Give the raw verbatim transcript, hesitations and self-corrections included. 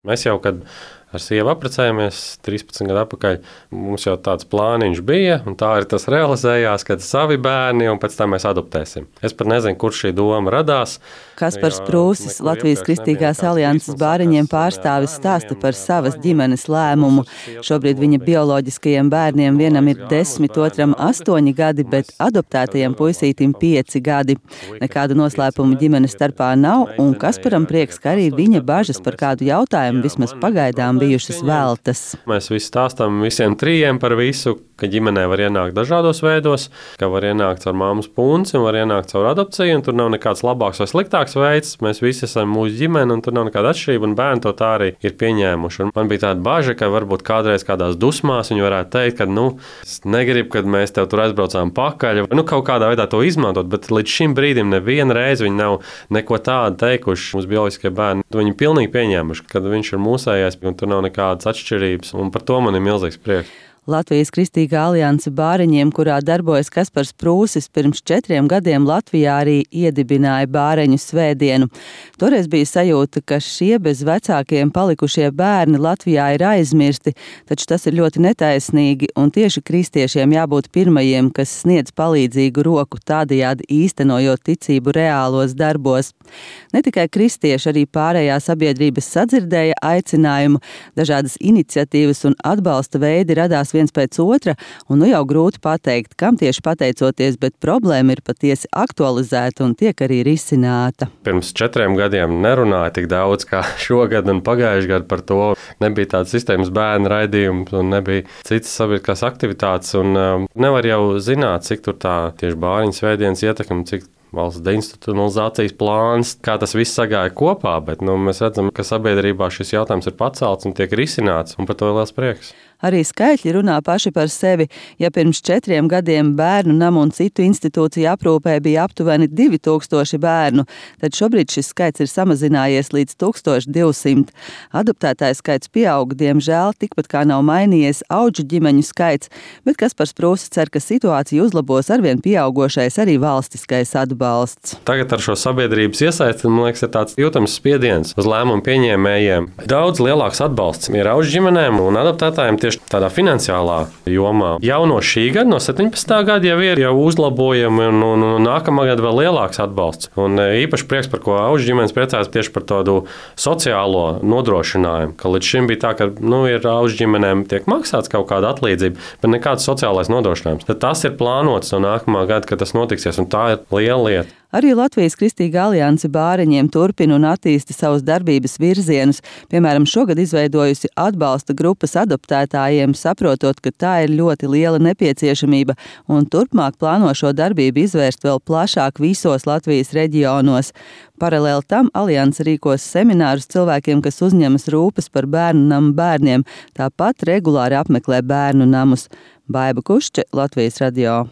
Mēs jau, kad ar sievu apprecējāmies trīspadsmit gadu atpakaļ, mums jau tāds plāniņš bija, un tā arī tas realizējās, kad savi bērni, un pēc tam mēs adoptēsim. Es pat nezinu, kur šī doma radās. Kaspars Prūsis, Latvijas Kristīgās alianses bāriņiem pārstāvis, stāsta par savas ģimenes lēmumu. Šobrīd viņa bioloģiskajiem bērniem vienam ir desmit, otram astoņi gadi, bet adoptētajam puisītim pieci gadi. Nekādu noslēpumu ģimenes starpā nav, un Kasparam prieks, ka arī viņa bažas par kādu jautājumu vismaz pagaidām bijušas veltas. Mēs visi stāstām visiem trījiem par visu, ka ģimenē var ienākt dažādos veidos, ka var ienākt caur māmas punci un var ienākt caur adopciju, un tur nav nekāds labāks vai sliktāks veids. Mēs visi esam mūsu ģimene, un tur nav nekāda atšķirība, un bērni to tā arī ir pieņēmuši. Un man bija tāda baža, ka varbūt kādreiz kādās dusmās viņi varētu teikt, ka, nu, es negribu, kad mēs tev tur aizbraucām pakaļ, nu, kaut kādā veidā to izmantot, bet līdz šim brīdim nevienu reizi viņi nav neko tādu teikuši. Mūsu bioloģiskie bērni, viņi pilnīgi pieņēmuši, kad viņš ir mūsējais, un tur nav nekādas atšķirības, un par to man ir milzīgs prieks. Latvijas Kristīgā alianse bāriņiem, kurā darbojas Kaspars Prūsis, pirms četriem gadiem Latvijā arī iedibināja bāreņu svētdienu. Toreiz bija sajūta, ka šie bez vecākiem palikušie bērni Latvijā ir aizmirsti, taču tas ir ļoti netaisnīgi, un tieši kristiešiem jābūt pirmajiem, kas sniedz palīdzīgu roku, tādējādi īstenojot ticību reālos darbos. Ne tikai kristieši, arī pārējā sabiedrības sadzirdēja aicinājumu, dažādas iniciatīvas un atbalsta veidi radās viens pēc otra, un nu jau grūti pateikt, kam tieši pateicoties, bet problēma ir patiesi aktualizēta un tiek arī risināta. Pirms četriem gadiem nerunāja tik daudz kā šogad un pagājuši gadu par to. Nebija tādas sistēmas bērnu raidījums un nebija citas sabiedriskās aktivitātes, un um, nevar jau zināt, cik tur tā tieši bāriņu svētdienas ietekme, cik valsts deinstitucionalizācijas plāns, kā tas viss sagāja kopā, bet nu, mēs redzam, ka sabiedrībā šis jautājums ir pacelts un tiek risināts, un par to ir liels prieks. Arī skaitļi runā paši par sevi. Ja pirms četriem gadiem bērnu namu un citu institūciju aprūpē bija aptuveni divi tūkstoši bērnu, tad šobrīd šis skaits ir samazinājies līdz tūkstoš divsimt. Adoptētāju skaits pieaug, diemžēl tikpat kā nav mainījies auģu ģimeņu skaits, bet Kaspars Prūsis cer, ka situācija uzlabos arvien pieaugošais arī valstiskais atbalsts. Tagad ar šo sabiedrības iesaisti, man liekas, ir tāds jūtams spiediens uz lēmumu pieņēmējiem. Daudz lielāks atbalsts ir auģu ģimenēm un adoptētājiem tieši tādā finansiālā jomā. Jau no šī gada, no septiņpadsmitā gada jau ir jau uzlabojumi, un, un, un nākamā gada vēl lielāks atbalsts. Un īpaši prieks, par ko auģu ģimenes priecājas tieši par tādu sociālo nodrošinājumu, ka līdz šim bija tā, ka nu, ir auģu ģimenēm tiek maksāts kaut kāda atlīdzība, bet nekāds sociālais nodrošinājums. Tad tas ir plānots no nākamā gada, kad tas notiksies, un tā ir liela lieta. Arī Latvijas Kristīgā alianse bāriņiem turpina un attīsta savus darbības virzienus. Piemēram, šogad izveidojusi atbalsta grupas adoptētājiem, saprotot, ka tā ir ļoti liela nepieciešamība, un turpmāk plāno šo darbību izvērst vēl plašāk visos Latvijas reģionos. Paralēli tam alianse rīkos seminārus cilvēkiem, kas uzņemas rūpes par bērnu namu bērniem, tāpat regulāri apmeklē bērnu namus. Baiba Kušče, Latvijas radio.